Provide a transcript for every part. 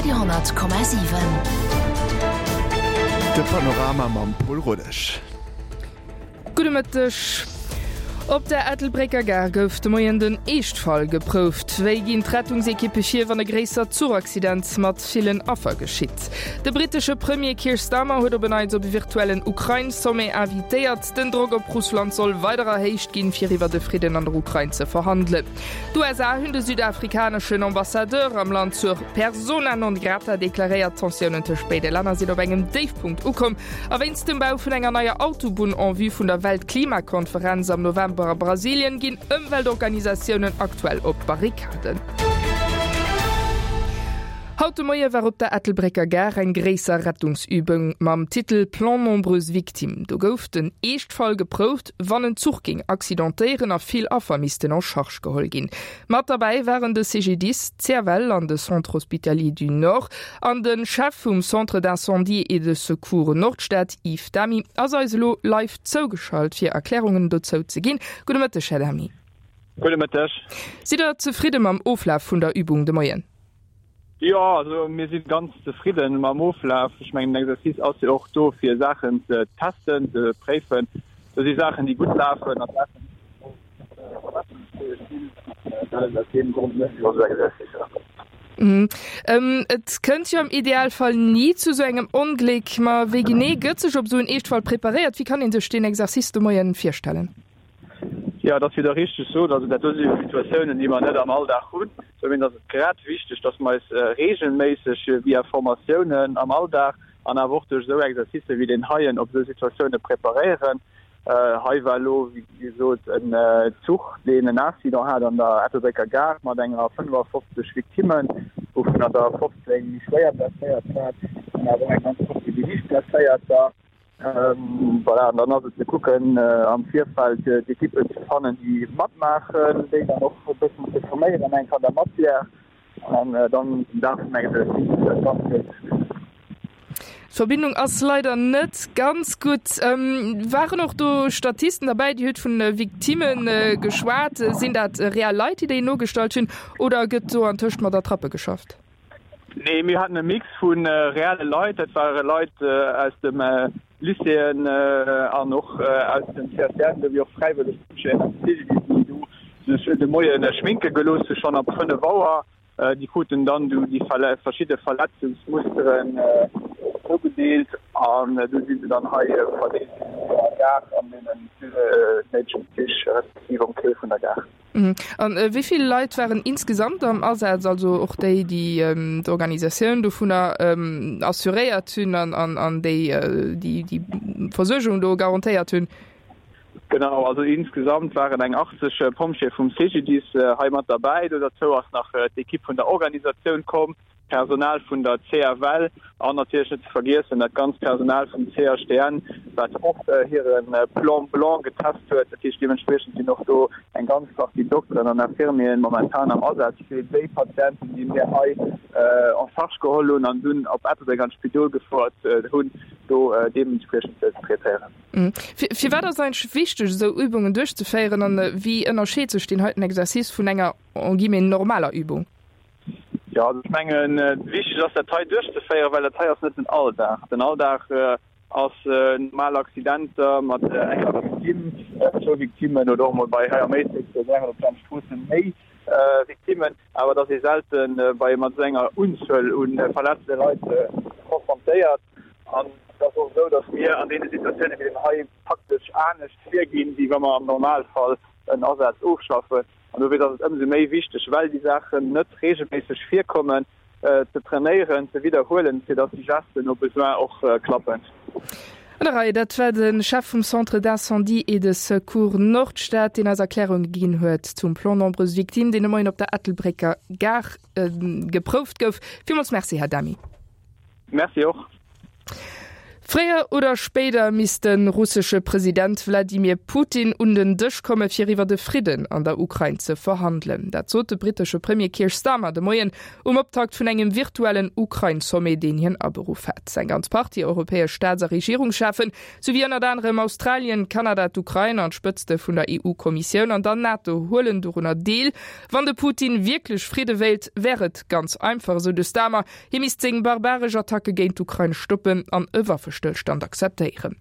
Radio 10,7. De Panorama mam Pol Rodesch. Gudde Mëtteg. Op der Ettelbrécker Gare gouf de Moien den Eeschtfall geprouft. Wéi ginn d'Rettungsekippe vir, wann e gréissert Zuchaccident mat villen Affer geschitt? De brittesche Premier Keir Starmer huet op en Neits op e virtuellen Ukrain-Sommet invitéiert. Den Drock op Russland soll weider erhéicht ginn, fir iwwer e Fridden an der Ukrain ze verhandelen. D'USA hunn de südafrikaneschen Ambassadeur am Land zur Persona non grata deklaréiert. D'Tensiounen tëscht béide Länner sinn op engem Déifpunkt ukomm. A wéinst dem Bau vun enger neier Autobunn en vue vun der Weltklimakonferenz am November a Brasilien ginn Ëmweltorganisatiounen aktuell op d'Barrikaden. Haut de Moie war op der Ettelbrécker Gare eng gréisser Rettungsübung mam Titel Plan nombreuses victimes. Do gouf den Eeschtfall geprouft, wann en Zuch géing accidentéieren a vill Affer missten en charge geholl ginn. Mat derbäi waren de CGDIS, d'CFL an de Centre Hospitalier du Nord. An de Chef vum Centre d'incendie et de secours Nordstad, Yves Damy, ass eis elo live zougeschalt, fir Erklärungen dozou ze ginn. Gudde Mëtteg, Här Damy. Gudde Mëtteg. Sidd Der zefridde mam Oflaf vun der Übung de Moien? Jo, also mir si ganz zefridde mam Oflaf. Ech mengen, den Exercice ass jo och do, fir Saachen ze testen, ze préifen. Do si Saachen, déi gutt lafen a Saachen, déi verbesserungsfäeg sinn. An aus deem Grond mécht een och esou Exercicer. Et kënnt jo am Idealfall ni zu esou engem Ongléck. Ma wéi genee gëtt sech op esou en Eeschtfall preparéiert? Wéi kann ee sech deen Exercice de Moien virstellen? Jo, et ass wéi Der richteg sot. Also dat do si jo Situatiounen, déi mer net am Alldag hunn. Dowéinst ass et grad wichteg, dass mer eis reegelméisseg via Formatiounen am Alldag an awer och duerch esou Exercicë wéi deen heien op esou Situatioune preparéieren. Hei war elo, wéi gesot, en Zuch, deen en Accident hat an der Ettelbrécker Gare mat enger 55 Victimmen, wouvunner der 15 méi schwéier blesséiert waren an awer och eng ganz Partie méi liicht Blesséierter. Voilà, an dann ass et ze kucken am Virfeld d'Ekippen ze fannen, déi matmaachen, déi dann och e bëssen ze forméieren eng an der Matière an dann den Dag vum Exercice dat Ganzt duerchzeféieren. D'Verbindung ass leider net ganz gutt. Waren och do Statisten derbäi? Dir hutt vun Victimme geschwat. Sinn dat reell Leit, déi déi nogestallt hunn, oder gëtt do antëscht mat Attrappe geschafft? Nee, mir haten e Mix vu reelle Leit, dat ware Leit aus dem Lycéeën an och aus dem CSTN, esou wéi och fräiwëlleg Pompjeeën aus dem CGDIS, déi do sech de Moie schminke gelooss hu schonn ab 5 Auer. Déi kruten dann du déi verschidde Verletzungsmusteren zougedeelt an du si se dann hei verdeelt ginn an der Gare an deenen néidegen Zich respektiv um Quai vun der Gare. An wéi vill Leit waren insgesamt am Asaz, also och déi, déi d'Organisatioun dovunner assuréiert hunn an déi, déi déi Versuergung do garantéiert hunn? Genau, also insgesamt waren eng 80 Pompjeeë vum CGDIS hei mat derbäi. Do derzou ass nach d'Ekipp vun der Organisatioun komm. D'Personal vun der CFL an natierlech net ze vergiessen dat ganzt Personal vum CHDN, wat och hire Plan blanc getest huet. Dat heescht, deementspriechend sinn och do eng ganz Partie Dokteren an Infirmieren momentan am Asaz fir déi Patienten, déi mir hei en charge geholl hunn an dunn op Ettelbréck an d'Spidol gefouert hunn, do deementspriechend ze traitéieren. Firwat ass et eigentlech wichteg, esou Übungen duerchzeféieren an wéi ënnerscheet sech deen heiten Exercice vun enger, en guillemets, normaler Übung? Jo, also ech mengen, wichteg ass dat hei duerchzeféieren, well dat hei ass net den Alldag. Den Alldag ass normal Accidenter mat enger Victime, zwou Victimmen oder och emol bei hei am Éislek wären op Plan Stroossen méi Victimmen, awer et ass ee selte bei mat esou enger Unzuel u verletzte Leit konfrontéiert. An et ass och esou, datt mir an deene Situatiounen, wéi deem hei, praktesch anescht virginn, wéi wa mer am Normalfall en Asaz ofschaffen. An dofir ass et ëmsou méi wichteg, well déi Saachen net reegelméisseg virkommen, ze trainéieren, ze widderhuelen, fir datt déi Gesten au besoin och klappen. An der Rei, dat war de Chef vum Centre d'incendie et de secours Nordstad, deen eis Erklärunge ginn huet zum Plan nombreuses victimes, deen de Moien op der Ettelbrécker Gare geprouft gouf. Villmools Merci, Här Damy. Merci och. Fréier oder spéider misst de russesche President Wladimir Putin un den Dësch komme fir iwwer e Fridden an der Ukrain ze verhandelen. Dat sot de brittesche Premier Keir Starmer de Moien um Optakt vun engem virtuellen Ukrain-Sommet, deen hien aberuff hat. Eng ganz Partie europäesch Staats a Regierungscheffen, souwéi ënnert anerem Australien, Kanada, d'Ukrain an d'Spëtzte vun der EU-Kommissioun an der NATO huelen dorunner deel. Wann de Putin wierklech Fridde wéilt, wär et ganz einfach, esou de Starmer. Hie misst seng barbaresch Attacke géint d'Ukrain stoppen an e Waffestëllstand akzeptéieren.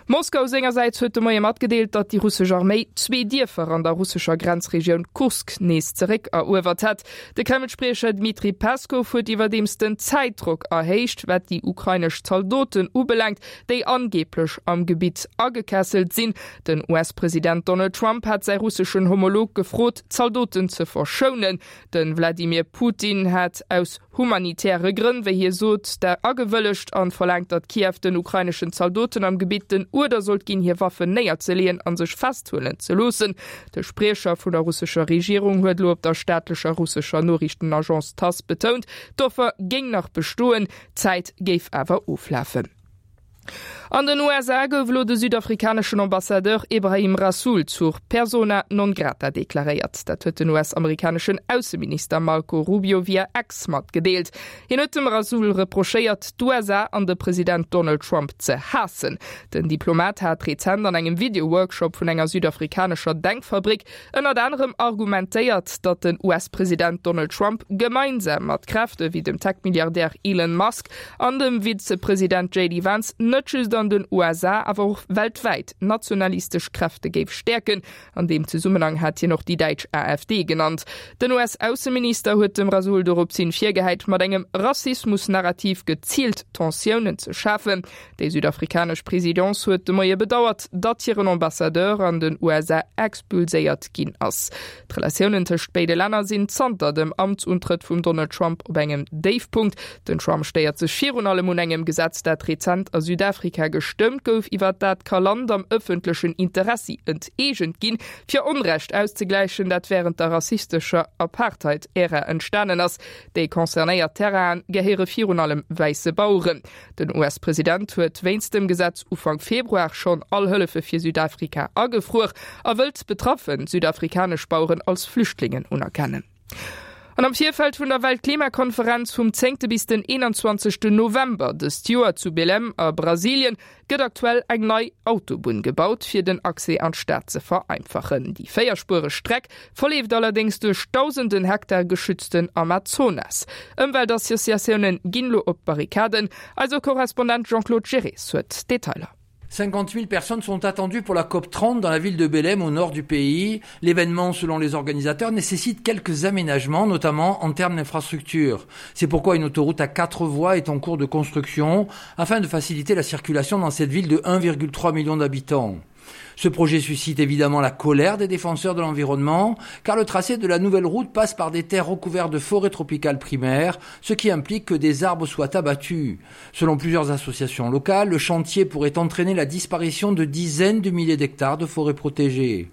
Moskau sengersäits huet de Moie matgedeelt, datt déi russesch Arméi zwee Dierfer an der russescher Grenzregioun Kursk nees zeréck eruewert hätt. De Kreml-Spriecher Dmitri Peskow huet iwwerdeems den Zäitdrock erhéicht, wat déi ukrainesch Zaldoten ubelaangt, déi angeeblech am Gebitt agekesselt sinn. Den US-President Donald Trump hat säi russeschen Homolog gefrot, d'Zaldoten ze verschounen. De Wladimir Putin hat aus humanitäre Grënn, wéi hie sot, der agewëllegt an verlaangt, datt Kiew den ukraineschen Zaldoten am Gebitt den Uerder sollt ginn, hir Waffen néierzeleeën a sech festhuelen ze loossen. De Spriecher vun der russescher Regierung huet elo op der staatlecher russescher Noriichtenagence Tass betount, d'Offer géing nach bestoen, d'Zäit géif awer oflafen. An den USA gouf elo de südafrikaneschen Ambassadeur Ebrahim Rasool zur Persona non grata deklaréiert. Dat huet den US-amerikaneschen Ausseminister Marco Rubio via X matgedeelt. Hien huet dem Rasool reprochéiert, d'USA an de President Donald Trump ze haassen. Den Diplomat hat rezent an engem Video-Workshop vun enger südafrikanescher Denkfabrik Ënnert anerem argumentéiert, datt den US-President Donald Trump gemeinsam mat Kräfte wéi dem Tech-Milliardär Elon Musk an dem Vizepresident JD Vance net just an den USA, awer och weltwäit nationalistesch Kräfte géif stäerken. An deem Zesummenhang hat hien och déi däitsch AfD genannt. Den US-Ausseminister huet dem Rasool doropshin virgehäit, mat engem Rassismus-Narrativ geziilt Tensiounen ze schafen. Déi südafrikanesch Presidence huet de Moie bedauert, datt hiren Ambassadeur an den USA expulséiert ginn ass. D'Relatiounen tëscht béide Länner sinn zanter dem Amtsuntrëtt vum Donald Trump op engem Déifpunkt. Den Trump stéiert sech virun allem un engem Gesetz, dat rezent a Südafrika gestëmmt gouf, iwwer dat ka Land am ëffentlechen Interessi enteegent ginn, fir Onrecht auszegläichen, dat wärend der rassistescher Apartheid-Ära entstanen ass. Déi concernéiert Terrainen gehéiere virun allem wäisse Baueren. Den US-President huet wéinst dem Gesetz Ufank Februar schonn all Hëllefe fir Südafrika agefruer a wëllt betraffe südafrikanesch Baueren als Flüchtlingen unerkennen. An am Virfeld vun der Weltklimakonferenz vum zéngte bis den 21. November dëst Joer zu Belém a Brasilien gëtt aktuell eng nei Autobunn gebaut, fir den Accès an d'Stad ze vereinfachen. Déi véierspuereg Streck verleeft allerdéngs duerch dausenden Hektar geschützten Amazonas. Ëmweltassociatioune ginn elo op d'Barrikaden. Eise Korrespondent Jean-Claude Geres huet d'Detailer. 50 000 personnes sont attendues pour la COP 30 dans la ville de Belém au nord du pays. L'événement, selon les organisateurs, nécessite quelques aménagements, notamment en termes d'infrastructures. C'est pourquoi une autoroute à quatre voies est en cours de construction afin de faciliter la circulation dans cette ville de 1,3 million d'habitants. Ce projet suscite évidemment la colère des défenseurs de l'environnement, car le tracé de la nouvelle route passe par des terres recouvertes de forêts tropicales primaires, ce qui implique que des arbres soient abattus. Selon plusieurs associations locales, le chantier pourrait entraîner la disparition de dizaines de milliers d'hectares de forêts protégées.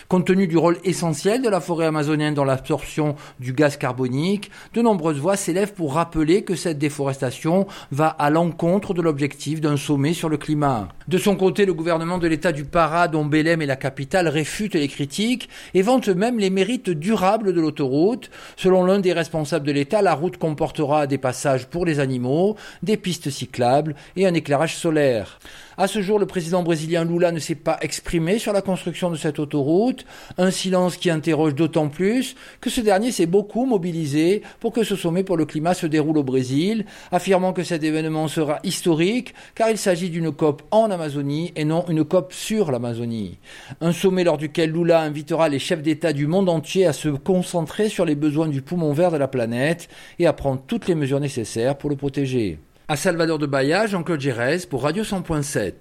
Compte tenu du rôle essentiel de la forêt amazonienne dans l'absorption du gaz carbonique, de nombreuses voix s'élèvent pour rappeler que cette déforestation va à l'encontre de l'objectif d'un sommet sur le climat. De son côté, le gouvernement de l'état du Pará, dont Belém est la capitale, réfute les critiques et vante même les mérites durables de l'autoroute. Selon l'un des responsables de l'état, la route comportera des passages pour les animaux, des pistes cyclables et un éclairage solaire. À ce jour, le président brésilien Lula ne s'est pas exprimé sur la construction de cette autoroute, un silence qui interroge d'autant plus que ce dernier s'est beaucoup mobilisé pour que ce sommet pour le climat se déroule au Brésil, affirmant que cet événement sera historique car il s'agit d'une COP en Amazonie et non une COP sur l'Amazonie. Un sommet lors duquel Lula invitera les chefs d'État du monde entier à se concentrer sur les besoins du poumon vert de la planète et à prendre toutes les mesures nécessaires pour le protéger. À Salvador de Bahia, Jean-Claude Gérès pour Radio 100.7.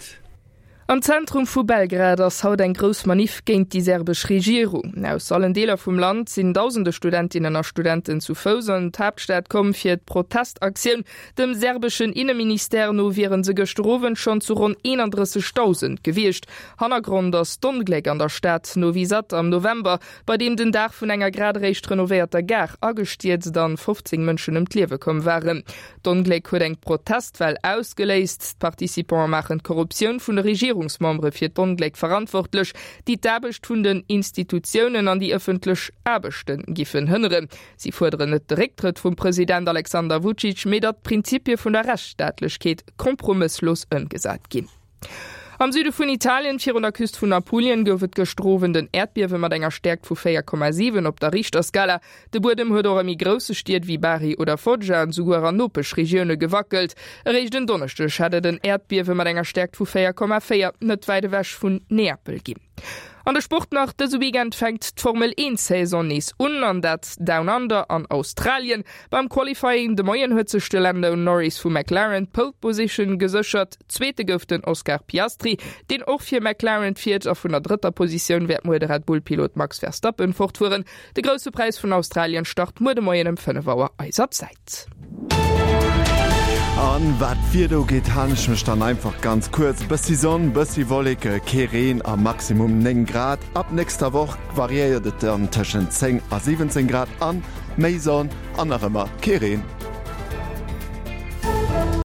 Am Zentrum vu Belgrad ass haut eng grouss Maniff géint déi serbesch Regierung. Aus allen Deeler vum Land sinn dausende Studentinnen a Studenten zu Fouss an d'Haaptstad komm fir d'Protestaktioun. Dem serbeschen Inneministère no wiere se gëschter Owend schonn zu ronn 31.000 gewiescht. Hannergrond ass d'Ongléck an der Stad Novi Sad am November, bei deem den Daach vun enger grad eréischt renovéierter Gare agestierzt an 15 Mënschen ëm d'Liewe komm waren. D'Ongléck huet eng Protestwell ausgeléist. D'Participante maachen d'Korruptioun vun de Regierungsmembere fir d'Ongléck verantwortlech, déi d'Aarbecht vun den Institutiounen an déi ëffentlech Aarbechte giffen hënneren. Si fuerderen net de Récktrëtt vum President Alexander Vucic, mee datt d'Prinzipie vun der Rechtsstaatlechkeet kompromësslos ëmgesat ginn. Am Süde vun Italien, virun der Küst vun Apulien, gouf et gëschter Owend en Äerdbiewe mat enger Stäerkt vu 4,7 op der Richterskala. De Buedem huet och a méi grousse Stied wéi Bari oder Foggia an esouguer an Nopeschregioune gewackelt. Eréischt en Donneschdeg hat et en Äerdbiewe mat enger Stäerkt vu 4,4 net wäit ewech vun Neapel ginn. An de Sport nach, Dëse Weekend fänkt d'Formel 1 Saison nees un, an dat Down Under an Australien. Beim Qualifying de Moien huet sech de Lando Norris vu McLaren d'Pole Position geséchert. Zweete gouf den Oscar Piastri, deen och fir McLaren fiert a vun der drëtter Positioun wäert muer de Red Bull Pilot Max Verstappen fortfueren. De Grousse Präis vun Australien start muer de Moien ëm 5 Auer eiser Zäit. An wat d'Wieder ugeet, halen ech mech dann einfach ganz kuerz, Bëssi Sonn, bëssi Wolleke, kee Reen a Maximum 9 Grad. Ab nächster Woch variéiert et dann tëschent 10 a 17 Grad an méi Sonn an nach ëmmer kee Reen.